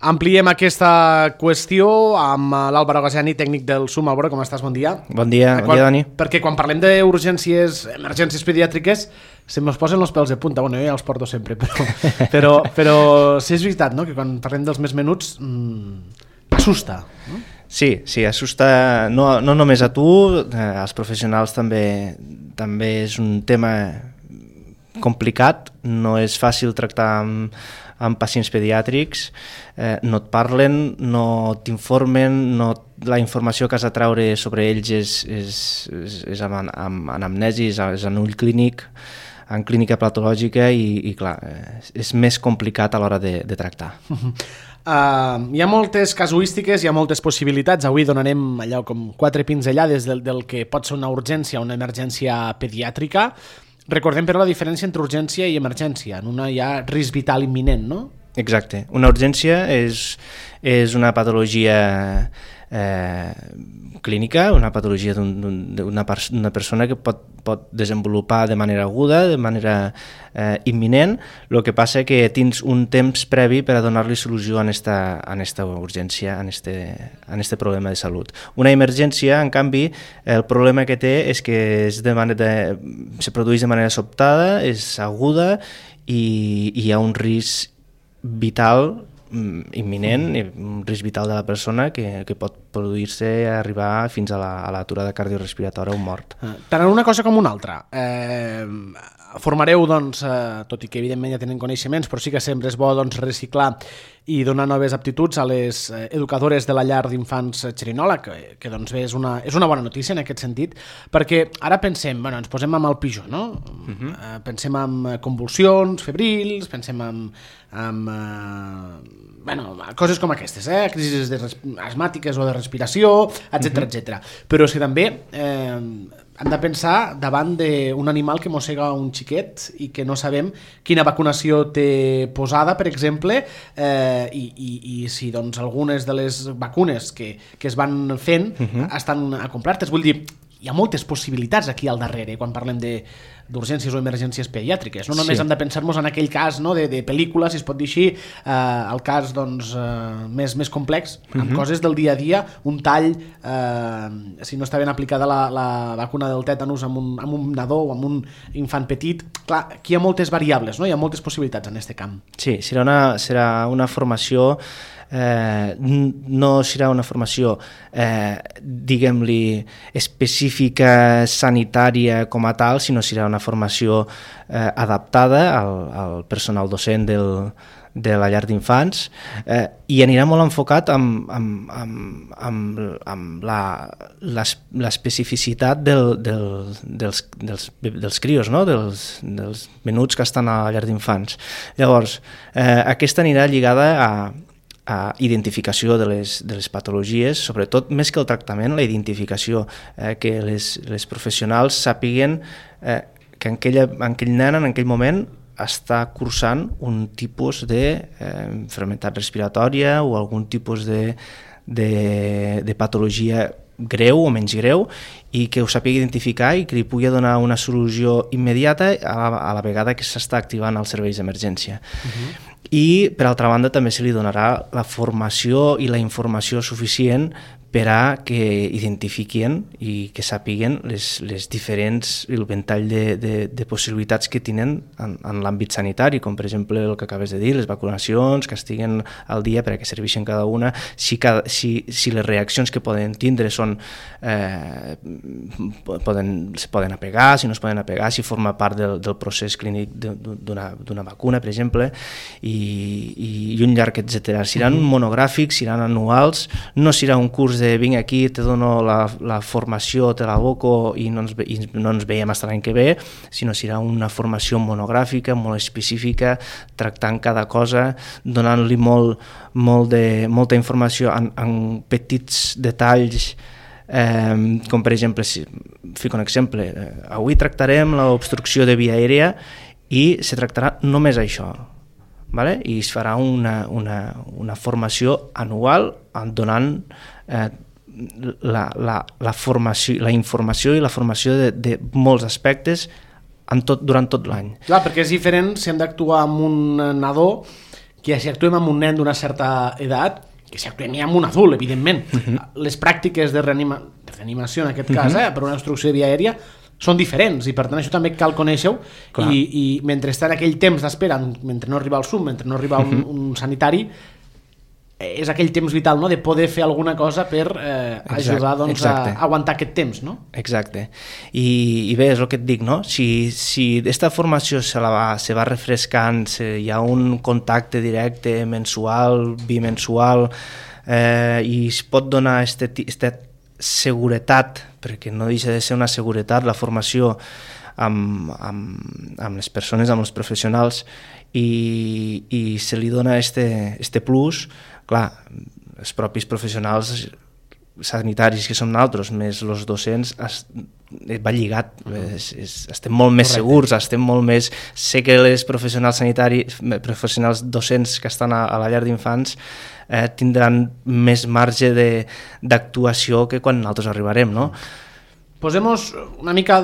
Ampliem aquesta qüestió amb l'Àlvaro Gasiani, tècnic del SUM. Álvaro, com estàs? Bon dia. Bon dia, Dani. Perquè quan parlem d'urgències, emergències pediàtriques, se me'ls posen els pèls de punta. Bueno, jo ja els porto sempre, però sí, és veritat, no?, que quan parlem dels més menuts assusta, no? Sí, assusta no només a tu, als professionals també és un tema complicat, no és fàcil tractar amb pacients pediàtrics, no et parlen, no t'informen, la informació que has de treure sobre ells és amb anamnesis, és en ull clínic, en clínica patològica i clar, és més complicat a l'hora de tractar. Hi ha moltes casuístiques, hi ha moltes possibilitats. Avui donarem allò com 4 pinzellades del que pot ser una urgència o una emergència pediàtrica. Recordem, però, la diferència entre urgència i emergència. En una hi ha risc vital imminent, no? Exacte. Una urgència és una patologia clínica, una patologia d'una persona que pot desenvolupar de manera aguda, de manera imminent. El que passa que tens un temps previ per a donar-li solució a esta urgència, a este problema de salut. Una emergència, en canvi, el problema que té és que se produeix de manera sobtada, és aguda i hi ha un risc vital imminent, un risc vital de la persona que pot produir-se arribar fins a l'aturada cardiorrespiratòria o mort. Tant en una cosa com una altra. Formareu, doncs, tot i que evidentment ja tenen coneixements, però sí que sempre és bo reciclar i donar noves aptituds a les educadores de la llar d'infants Xerinola, que doncs bé, és una bona notícia en aquest sentit, perquè ara pensem, ens posem amb el pitjor, no? Pensem en convulsions febrils, pensem en coses com aquestes, crisis asmàtiques o de respiració, etc. Però és que també hem de pensar davant d'un animal que mossega un xiquet i que no sabem quina vacunació té posada, per exemple, i si doncs algunes de les vacunes que es van fent estan complertes. Vull dir, hi ha moltes possibilitats aquí al darrere quan parlem d'urgències o emergències pediàtriques. No només hem de pensar-nos en aquell cas, no, de pel·lícula, si es pot dir així, el cas doncs, més complex, amb coses del dia a dia, un tall, si no està ben aplicada la vacuna del tètanus amb un nadó o amb un infant petit. Clar, aquí hi ha moltes variables, no? Hi ha moltes possibilitats en aquest camp. Sí, serà una formació, no serà una formació diguem-li específica sanitària com a tal, sinó serà una formació adaptada al personal docent de la llar d'infants i anirà molt enfocat amb l'especificitat dels crios, no? dels menuts que estan a la llar d'infants. Llavors, aquesta anirà lligada a identificació de les patologies, sobretot més que el tractament, la identificació, que les professionals sàpiguen que aquell nen en aquell moment està cursant un tipus d'enfermetat respiratòria o algun tipus de patologia greu o menys greu i que ho sàpiga identificar i que li pugui donar una solució immediata a la vegada que s'està activant els serveis d'emergència. I, per altra banda, també se li donarà la formació i la informació suficient per a que identifiquin i que sàpiguen les diferents, el ventall de possibilitats que tenen en l'àmbit sanitari, com per exemple el que acabes de dir, les vacunacions, que estiguen al dia per a què serveixen cada una, si les reaccions que poden tindre són se poden apegar, si no es poden apegar, si forma part del procés clínic d'una vacuna, per exemple, i un llarg, etc. Seran monogràfics, seran anuals, no serà un curs de vinc aquí, te dono la formació, te l'aboco i no ens veiem fins l'any que ve, sinó serà una formació monogràfica, molt específica, tractant cada cosa, donant-li molta informació en petits detalls, com per exemple, fico un exemple, avui tractarem l'obstrucció de via aèria i se tractarà només això. Vale? I es farà una formació anual donant la informació i la formació de molts aspectes durant tot l'any. Clar, perquè és diferent si hem d'actuar amb un nadó que si actuem amb un nen d'una certa edat, que si actuem ja amb un adult, evidentment. Les pràctiques de reanimació, en aquest cas, per una obstrucció de via aèria, són diferents, i per tant això també cal conèixer-ho, i mentre està en aquell temps d'espera, mentre no arriba el SUM, mentre no arriba un sanitari, és aquell temps vital, no?, de poder fer alguna cosa per ajudar doncs, a aguantar aquest temps, no? Exacte. I bé, és el que et dic, no? Si aquesta formació se va refrescant, hi ha un contacte directe mensual, bimensual, i es pot donar aquesta seguretat, perquè no deixa de ser una seguretat, la formació amb les persones, amb els professionals, i se li dona este plus. Clar, els propis professionals sanitaris que som nosaltres, més els docents, va lligat, estem molt més segurs, estem molt més... Sé que les professionals sanitaris, professionals docents que estan a la llar d'infants tindran més marge d'actuació que quan nosaltres arribarem, no? Posem-nos una mica...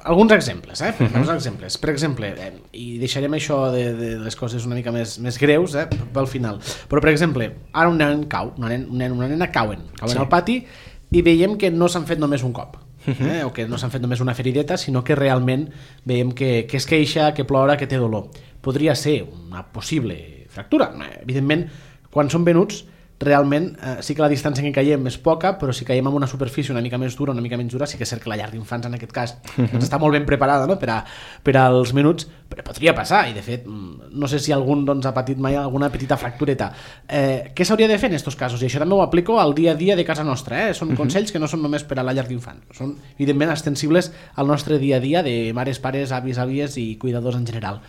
alguns exemples, exemples. Per exemple, i deixarem això de les coses una mica més greus pel final, però per exemple, ara un nen cau, una nena cauen al pati i veiem que no s'han fet només un cop, o que no s'han fet només una ferideta, sinó que realment veiem que es queixa, que plora, que té dolor. Podria ser una possible fractura. Evidentment, quan són venuts, realment sí que la distància en què caiem és poca, però si caiem en una superfície una mica més dura, una mica menys dura, sí que és cert que la llar d'infants en aquest cas està molt ben preparada, no?, per als minuts, però podria passar, i de fet no sé si algun ha patit mai alguna petita fractureta. Què s'hauria de fer en aquests casos? I això també ho aplico al dia a dia de casa nostra, són consells que no són només per a la llar d'infants, són evidentment extensibles al nostre dia a dia de mares, pares, avis, àvies i cuidadors en general.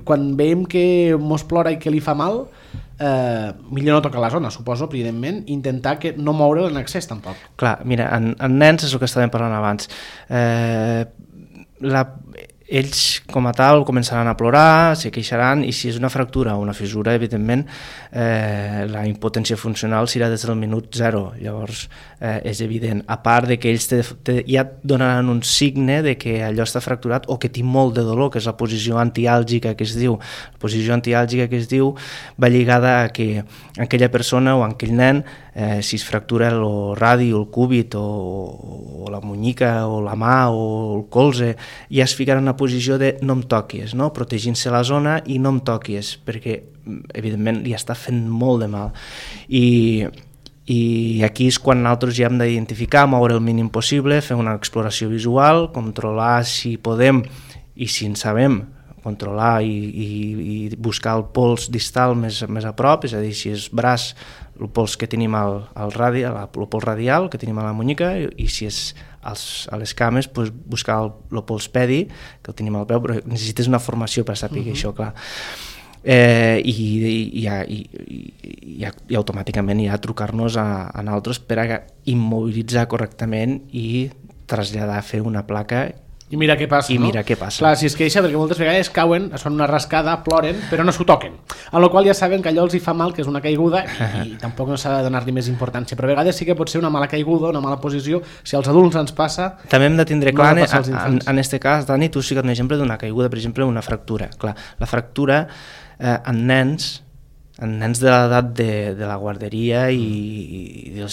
Quan veiem que mos plora i que li fa mal, millor no tocar la zona, suposo, evidentment, intentar que no moure'l en excés tampoc. Clar, mira, en nens és el que estàvem parlant abans, ells com a tal començaran a plorar, se queixaran, i si és una fractura o una fissura, evidentment la impotència funcional serà des del minut 0, llavors és evident, a part de que ells ja et donaran un signe de que allò està fracturat o que té molt de dolor, que és la posició antiàlgica que es diu. La posició antiàlgica que es diu va lligada a que aquella persona o aquell nen, si es fractura el radi o el cúbit o la munyica o la mà o el colze, ja es ficarà en una posició de no em toquis, no? Protegint-se la zona i no em toquis, perquè evidentment li està fent molt de mal. I aquí és quan nosaltres ja hem d'identificar, moure el mínim possible, fer una exploració visual, controlar si podem i si en sabem, controlar i buscar el pols distal més a prop, és a dir, si és braç, el pols que tenim al radi, el pols radial que tenim a la munyica, i si és a les cames, buscar el pols pedi, que el tenim al peu, però necessites una formació per saber això, clar. I automàticament ja trucar-nos a nosaltres per a immobilitzar correctament i traslladar a fer una placa i mira què passa, no? Clar, si es queixa, perquè moltes vegades cauen, es fan una rascada, ploren, però no s'ho toquen, amb la qual ja saben que allò els hi fa mal, que és una caiguda, i tampoc no s'ha de donar-li més importància, però a vegades sí que pot ser una mala caiguda, una mala posició, si als adults ens passa... També hem de tindre clar, en este cas, Dani, tu sí que un exemple d'una caiguda, per exemple, una fractura. Clar, la fractura en nens de l'edat de la guarderia i de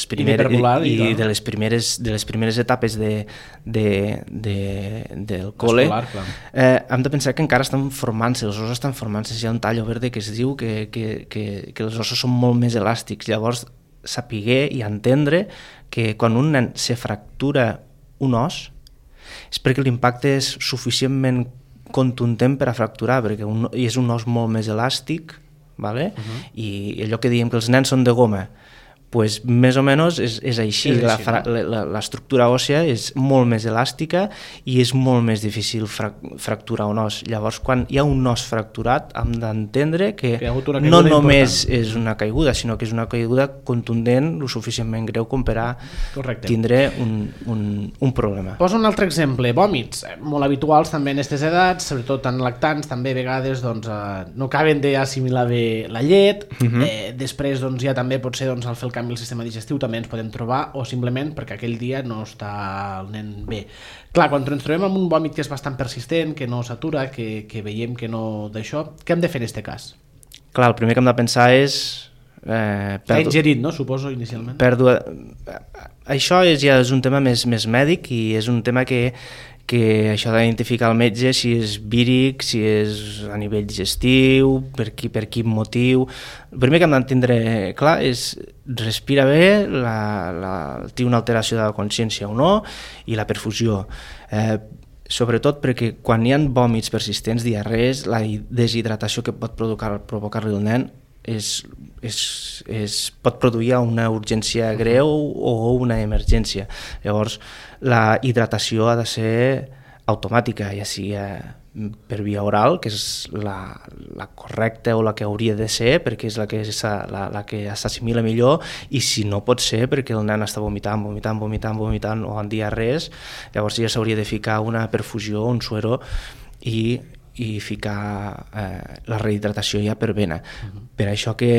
les primeres etapes del col·le, hem de pensar que encara estan formant-se, els ossos estan formant-se, hi ha un tall verde que es diu que els ossos són molt més elàstics, llavors saber i entendre que quan un nen se fractura un os és perquè l'impacte és suficientment contundent per a fracturar, perquè és un os molt més elàstic, vale? I allò que diem que els nens són de goma, pues més o menys és així. L'estructura òssia és molt més elàstica i és molt més difícil fracturar un os. Llavors, quan hi ha un os fracturat, hem d'entendre que no només és una caiguda, sinó que és una caiguda contundent, lo suficientment greu com per a tindre un problema. Posa un altre exemple, vòmits, molt habituals també en aquestes edats, sobretot en lactants, també a vegades no acaben d'assimilar bé la llet, després ja també pot ser al fer el canvi al sistema digestiu també ens podem trobar, o simplement perquè aquell dia no està el nen bé. Clar, quan ens trobem amb un vòmit que és bastant persistent, que no s'atura, que veiem que no d'això, què hem de fer en aquest cas? Clar, el primer que hem de pensar és... S'ha ingerit, no? Suposo, inicialment. Això ja és un tema més mèdic i és un tema que això d'identificar el metge si és víric, si és a nivell digestiu, per quin motiu. El primer que hem d'entendre clar és respira bé, té una alteració de la consciència o no, i la perfusió. Sobretot perquè quan hi ha vòmits persistents, diarrees, la deshidratació que pot provocar-li el nen pot produir una urgència greu o una emergència. Llavors, la hidratació ha de ser automàtica, ja sigui per via oral, que és la correcta o la que hauria de ser, perquè és la que s'assimila millor, i si no pot ser perquè el nen està vomitant o en diarrees, llavors ja s'hauria de ficar una perfusió, un suero i ficar la rehidratació ja per vena. Per això que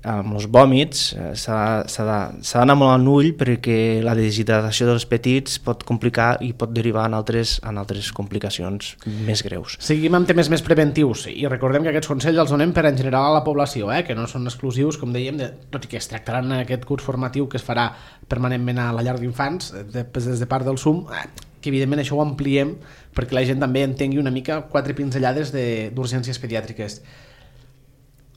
amb els vòmits s'ha d'anar molt en ull, perquè la deshidratació dels petits pot complicar i pot derivar en altres complicacions més greus. Seguim amb temes més preventius i recordem que aquests consells els donem per en general a la població, que no són exclusius, com dèiem, tot i que es tractaran en aquest curs formatiu que es farà permanentment a la llar d'infants des de part del SUM, que evidentment això ho ampliem perquè la gent també entengui una mica 4 pinzellades d'urgències pediàtriques.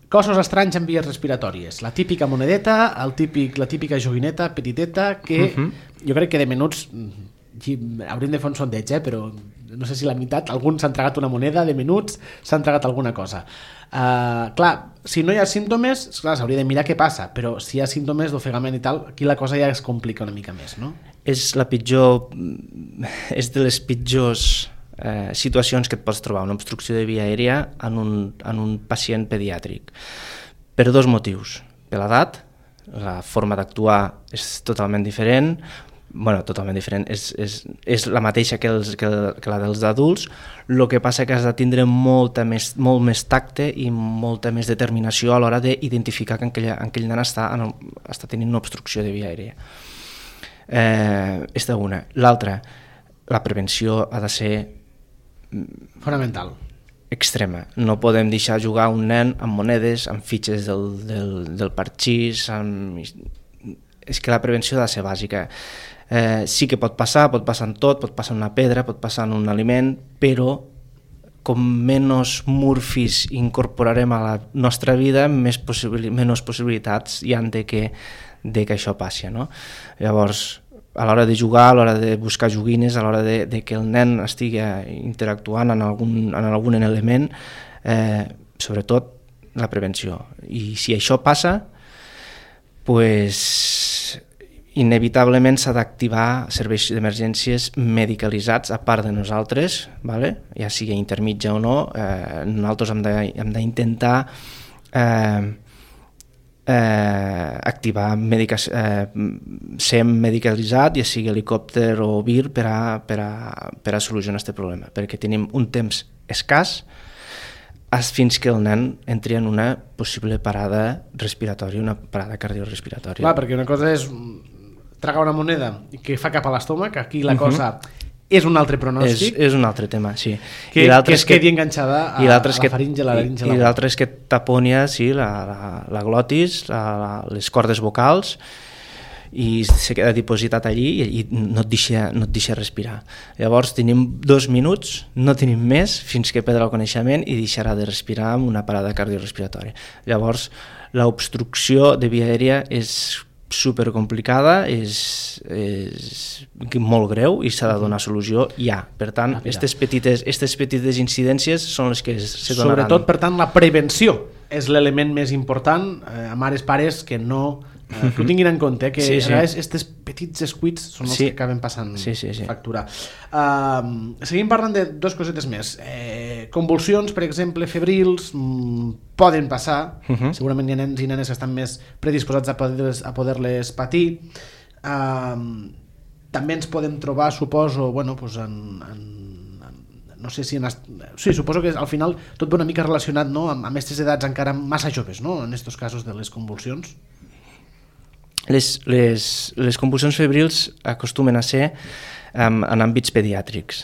Cossos estranys en vies respiratòries, la típica monedeta, la típica joguineta petiteta que jo crec que de menuts hauríem de fer un sondeig, però no sé si la meitat, alguns s'han tragat una moneda, de menuts s'han tragat alguna cosa. Clar, si no hi ha símptomes, s'hauria de mirar què passa, però si hi ha símptomes d'ofegament i tal, aquí la cosa ja es complica una mica més, no? És de les pitjors situacions que et pots trobar, una obstrucció de via aèria en un pacient pediàtric, per 2 motius. Per l'edat, la forma d'actuar és totalment diferent, és la mateixa que la dels adults, el que passa que has de tindre molt més tacte i molta més determinació a l'hora d'identificar que aquell nen està tenint una obstrucció de via aèria. És una. L'altra, la prevenció ha de ser fonamental, extrema. No podem deixar jugar un nen amb monedes, amb fitxes del parxís, és que la prevenció ha de ser bàsica. Sí que pot passar en tot, pot passar en una pedra, pot passar en un aliment, però com menys murfis incorporarem a la nostra vida, menys possibilitats hi ha de que això passi, no? Llavors, a l'hora de jugar, a l'hora de buscar joguines, a l'hora de que el nen estigui interactuant en algun element, sobretot la prevenció. I si això passa, inevitablement s'ha d'activar serveis d'emergències medicalitzats a part de nosaltres, ja sigui intermitja o no. Nosaltres hem d'intentar activar ser medicalitzat, ja sigui helicòpter o vir, per a solucionar aquest problema, perquè tenim un temps escàs fins que el nen entri en una possible parada respiratòria, una parada cardiorrespiratòria. Clar, perquè una cosa és tragar una moneda que fa cap a l'estómac, aquí la cosa és un altre pronòstic. És un altre tema, sí. Que es quedi enganxada a la faringe, la laringe. I l'altre és que taponia la glotis, les cordes vocals, i se queda dipositat allí i no et deixa respirar. Llavors tenim 2 minuts, no tenim més, fins que perdrà el coneixement i deixarà de respirar amb una parada cardiorrespiratòria. Llavors, l'obstrucció de via aèria és supercomplicada, és molt greu i s'ha de donar solució ja. Per tant, aquestes petites incidències són les que se donaran. Sobretot, per tant, la prevenció és l'element més important a mares, pares, que no... que ho tinguin en compte, que a vegades aquests petits descuits són els que acaben passant factura. Seguim parlant de 2 cosetes més. Convulsions, per exemple, febrils, poden passar, segurament hi ha nens i nenes que estan més predisposats a poder-les patir. També ens podem trobar, suposo, no sé si... Sí, suposo que al final tot va una mica relacionat, no?, amb aquestes edats encara massa joves, no?, en aquests casos de les convulsions. Les convulsions febrils acostumen a ser en àmbits pediàtrics.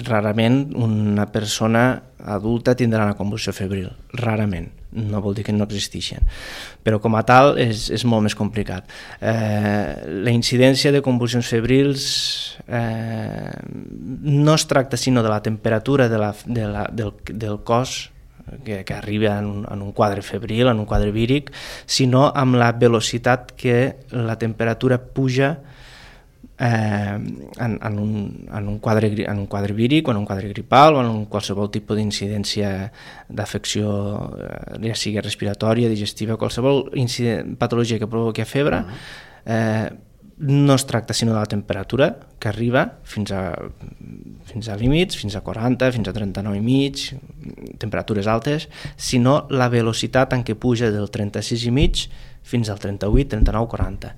Rarament una persona adulta tindrà una convulsió febril, rarament, no vol dir que no existeixen, però com a tal és molt més complicat. La incidència de convulsions febrils no es tracta sinó de la temperatura del cos que arriba en un quadre febril, en un quadre víric, sinó amb la velocitat que la temperatura puja en un quadre víric o en un quadre gripal o en qualsevol tipus d'incidència d'afecció, ja sigui respiratòria, digestiva, qualsevol patologia que provoqui febre, no es tracta sinó de la temperatura que arriba fins a límits, fins a 40, fins a 39,5, temperatures altes, sinó la velocitat en què puja del 36,5 fins al 38, 39, 40.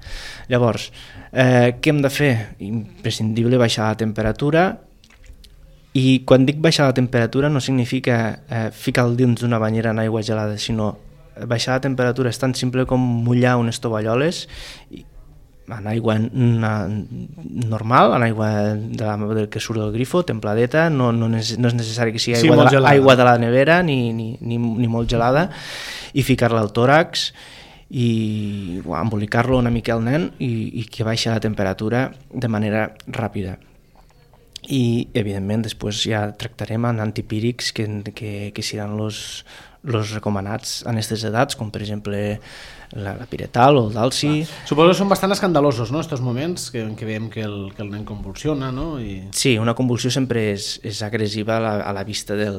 Llavors, què hem de fer? Imprescindible baixar la temperatura, i quan dic baixar la temperatura no significa ficar el dins d'una banyera en aigua gelada, sinó baixar la temperatura és tan simple com mullar unes tovalloles en aigua normal, en aigua que surt del grifo, templadeta, no és necessari que sigui aigua de la nevera ni molt gelada, i ficar-la al tòrax i embolicar-lo una mica al nen i que baixa la temperatura de manera ràpida. I evidentment després ja tractarem amb antipírics que seran els recomanats en aquestes edats, com per exemple la piretal o el dalsi. Suposo que són bastant escandalosos, no?, estos moments en què veiem que el nen convulsiona, no? Sí, una convulsió sempre és agressiva a la vista de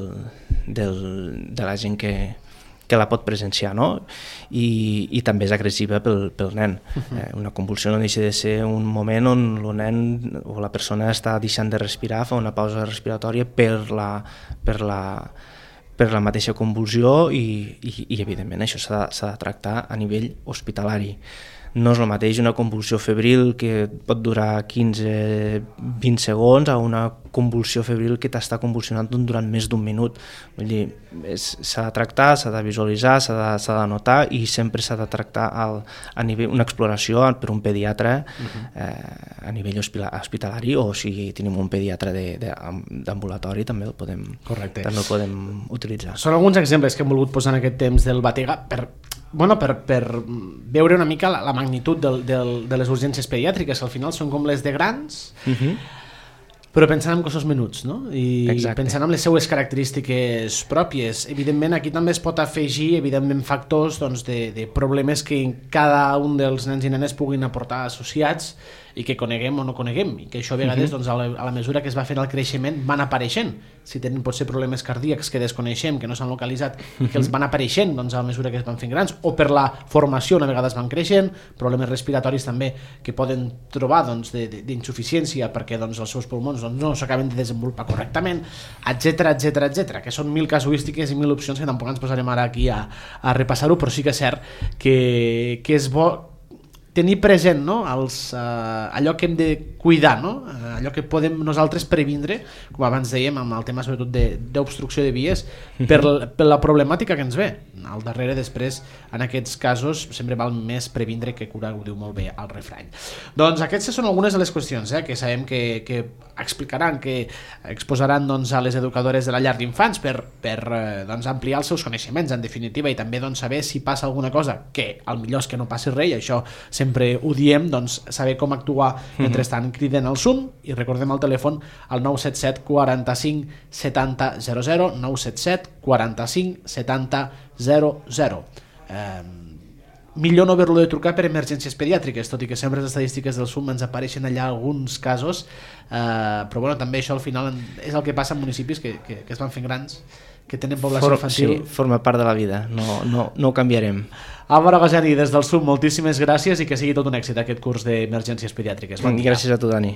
la gent que la pot presenciar, no? I també és agressiva pel nen. Una convulsió no deixa de ser un moment on el nen o la persona està deixant de respirar, fa una pausa respiratòria per la mateixa convulsió i evidentment això s'ha de tractar a nivell hospitalari. No és el mateix una convulsió febril que pot durar 15-20 segons a una convulsió febril que t'està convulsionant durant més d'un minut. Vull dir, s'ha de tractar, s'ha de visualitzar, s'ha de notar, i sempre s'ha de tractar a nivell una exploració per un pediatre a nivell hospitalari, o si tenim un pediatre d'ambulatori també el podem utilitzar. Són alguns exemples que hem volgut posar en aquest temps del Batega per veure una mica la magnitud de les urgències pediàtriques, que al final són com les de grans, però pensant en cossos menuts, no? I pensant en les seues característiques pròpies. Evidentment aquí també es pot afegir factors de problemes que cada un dels nens i nenes puguin aportar associats i que coneguem o no coneguem, i que això a vegades a la mesura que es va fent el creixement van apareixent. Si tenen potser problemes cardíacs que desconeixem, que no s'han localitzat, i que els van apareixent a la mesura que es van fent grans, o per la formació una vegada es van creixent, problemes respiratoris també que poden trobar d'insuficiència perquè els seus pulmons no s'acaben de desenvolupar correctament, etc, que són 1000 casuístiques i 1000 opcions que tampoc ens posarem ara aquí a repassar-ho, però sí que és cert que és bo tenir present, no? Allò que hem de cuidar, no? Allò que podem nosaltres previndre, com abans dèiem, amb el tema sobretot d'obstrucció de vies, per la problemàtica que ens ve. Al darrere, després, en aquests casos, sempre val més previndre que curar, ho diu molt bé el refrany. Doncs aquestes són algunes de les qüestions que sabem que explicaran, que exposaran a les educadores de la llar d'infants per ampliar els seus coneixements, en definitiva, i també saber si passa alguna cosa, que al millor és que no passi res, i això sempre ho diem, saber com actuar mentrestant. Criden al SUM i recordem el telèfon al 977 45 70 00, 977 45 70 00. Millor no haver-lo de trucar per emergències pediàtriques, tot i que sempre les estadístiques del SUM ens apareixen allà alguns casos, però també això al final és el que passa en municipis que es van fent grans, que tenen població infantil. Sí, forma part de la vida, no ho canviarem. Álvaro Goseni, des del SUM, moltíssimes gràcies i que sigui tot un èxit aquest curs d'emergències pediàtriques. Gràcies a tu, Dani.